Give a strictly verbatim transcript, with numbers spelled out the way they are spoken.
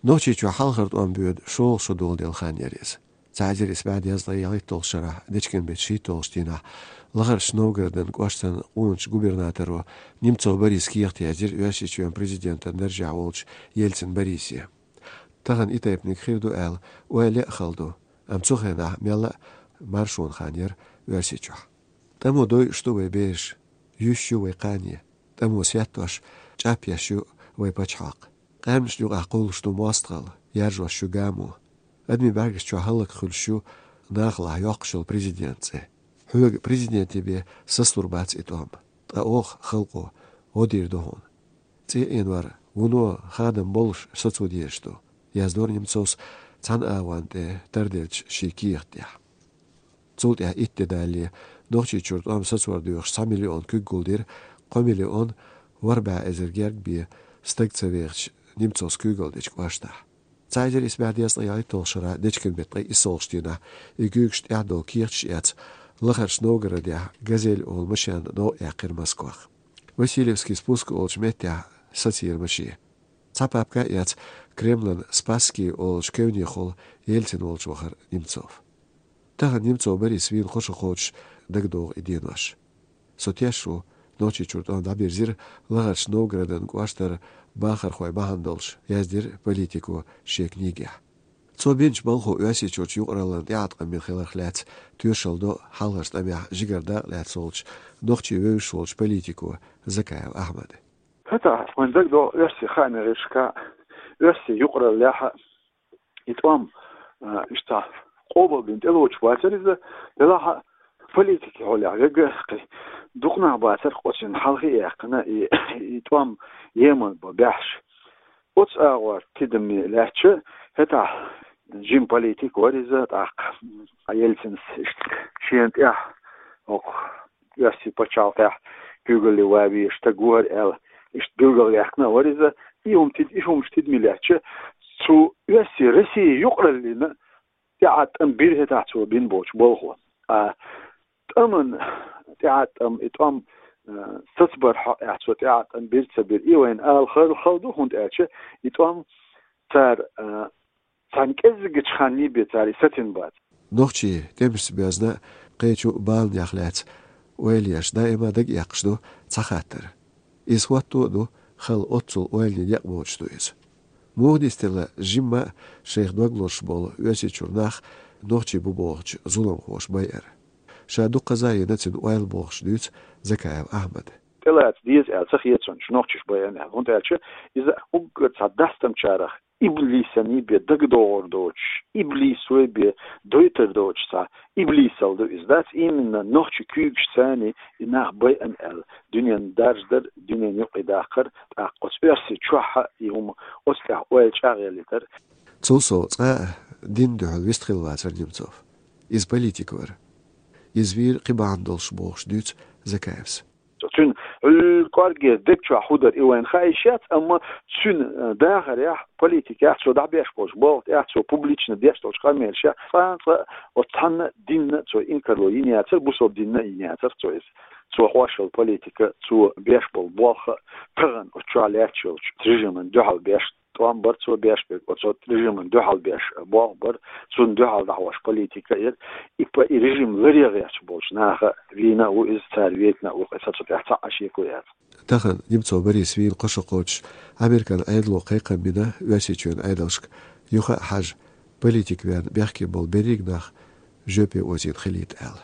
Нохчийчохь хьалхара тӀом боьду шолгӀа шо доладелла хан яр иза. Цхьа эзар исс бӀе дезткъе ялхитталгӀачу шарахь, Дечкенбеттан шийтталгӀачу дийнахь, Лахарчу Новгородера кӀоштан къоначу губернаторо Немцов Бориса кехат яздира Оьрсийчоьнан президентан даржехь волчу Ельцин Борисе. Тахана и тайпаниг хир ду аьлла, ойла а хала ду, амма цу хенахь мелла а маршонан хан яра Оьрсийчохь. ТӀамо дойуш ду вай бераш, юьсуш ю вай кхане, тӀамо сеттош, чӀапъеш ю вай пачхьалкх. Къаьмнашна юкъахь кхуллуш ду мостагӀалла, яржош ю гамо. Адамийн бӀаьргаш чохь хӀаллакьхуьлуш ю нахалахь йоккхуш йолу президентан цӀе. Хьоьга президенте бен сацалур бац и тӀом, ткъа оха, халкъо, гӀо дийр ду хьуна. ЦӀе Ӏенор вуно хадам боллуш сацо дезаш ду, яздора Немцовс цхьана агӀонна тӀе тарделлачу шен кехат тӀехь. Цул тӀаьхьа итт де далале, Нохчийчуьра тӀом сацор доьхуш цхьа миллион куьг гулдира кхо миллион ворхӀ бӀе эзар герга бен стаг ца вехачу Немцовс куьйгалдечу кӀоштахь. Цхьа эзар исс бӀе дезткъе ялхитталгӀачу шарахь, Дечкенбеттан ткъе иссалгӀачу дийнахь, и куьйгаш тӀаьхьадовла кехаташ эцна, Лахарчу Новгородехь «Газель» олу машен новкъаяьккхира Москвах. Васильевский спуск олучу меттехь сацийра машен. Цхьа папка а эцна, Кремлан Спасский олучу кевнехула Ельцин волчу вахара Немцов. Тахана Немцов Борис вийна кхо шо кхочуш дагадогӀу и денош. «Со теш ву, Нохчийчуьра тӀом дӀабирзира Лахарчу Новгородан кӀоштара бахархой бахьана долуш», — яздира политико шен книгехь. Цо бинчу балхо Оьрсийчуьрчу юкъараллин тӀеӀаткъам бина хиларх лаьцна тоьшалла до хьалхарчу тӀамехь жигара дакъа лаьцна волчу, нохчий вевзаш волчу политико Закаев Ахьмада. ХӀетахь вайн дагадогӀу оьрсийн хаамийн гӀирсашкахь, оьрсийн юкъараллехь и тӀом, а, иштта къобалбина тӀелоцуш бацара иза, делахь а политикин хьолехь верг кхин дукха нах бацара оцунна хьалхе а яьккхина и, и тӀом емал бан баьхьаш. Оцу агӀор тидаме лаьтташ, хӀетахь жима политик вара иза, тӀаккха Ельцинс иштта шена тӀехь, окху оьрсийн пачхьалкхехь куьйгалле ван везаш стаг вара аьлла, иштта билгалваьккхина а вара иза. И хӀума тид-, и хӀумаш тидаме лаьтташ, цу оьрсийн Россин юкъараллина тӀеӀаткъам бира хӀетахь цо бина болчу балхо. Ткъа тӀаман тӀеӀаткъам, и тӀом, а, сацабар хьокъехь цо тӀеӀаткъам бира ца бира, и вайна ала хала, хала ду, хӀунда аьлча и тӀом цара, а, цхьана кӀеззигачу ханна бен цара и сацийна бац. Нохчий тӀемашца боьзна кхечу баланех лаьцна ойла еш даима дага эккхаш ду цхьа хаттар. Иза хӀотто а ду, хала оццул ойланийн некъ боцуш ду иза. Муха дистелла жимма а шайх дог лозуш болу Оьрсийчуьра нах нохчий бу бохучу зуламхоша байар? Ша дуккхаза а йина цуьнан ойла бохуш дуьйцу Закаев Ахьмада. ТӀелаца деза аьлла ца хета суна нохчаша байъина аьлла, хӀунда аьлча иза уггар цхьа дастамчарах иблисана бен дагадогӀур доцуш, иблисо бен дойтур доцуш цхьа иблисалла ду иза. Дац, именно нохчийн куьйгашца и нах байъина аьлла, дуьненна даржадар, дуьненна юкъе даккхар, тӀаккха оцу Оьрсийчохь а и хӀума оцу тӀехь ойла чӀагӀъялийтар. Цул сов цкъа а динна дуьхьал вистхилла вацара Немцов. Иза политик вара. Иза вийра кхин бахьана долуш бохуш дуьйцу Закаевс. Цуьнан хьуьлла кӀоргера даг чохь хӀун дара, и вайна хаа йиш яц, амма цуьнан, э, дахарехь, политикехь, цо дӀабеш болчу болх тӀехь, цо публично деш долчу къамелашехь, цкъа а, цкъа а оцу цхьанна динна цо инкарло йина яцара, бусалба динна а йина яцара цо иза. Цо хьош йолу политика, цо беш болу болх а тахана оцу чохь лаьтташ йолчу режиман дуьхьал беш тӀом бара цо беш берг, оцу режиман дуьхьал беш болх бара, цунна дуьхьал дӀахьош политика яра. И па-, и режим ларъян гӀерташ болчу наха вийна а ву иза, цара вейтина а ву, кхин цу тӀехь цхьа а шеко яц. Тахана Немцов Борис вийна кхо шо кхочуш Американ Ӏедало кхайкхам бина Оьрсийчоьнан Ӏедалшка, юха а хьажа, политик вен бехке болу берриг нах жоьпе озийна хилийта аьлла.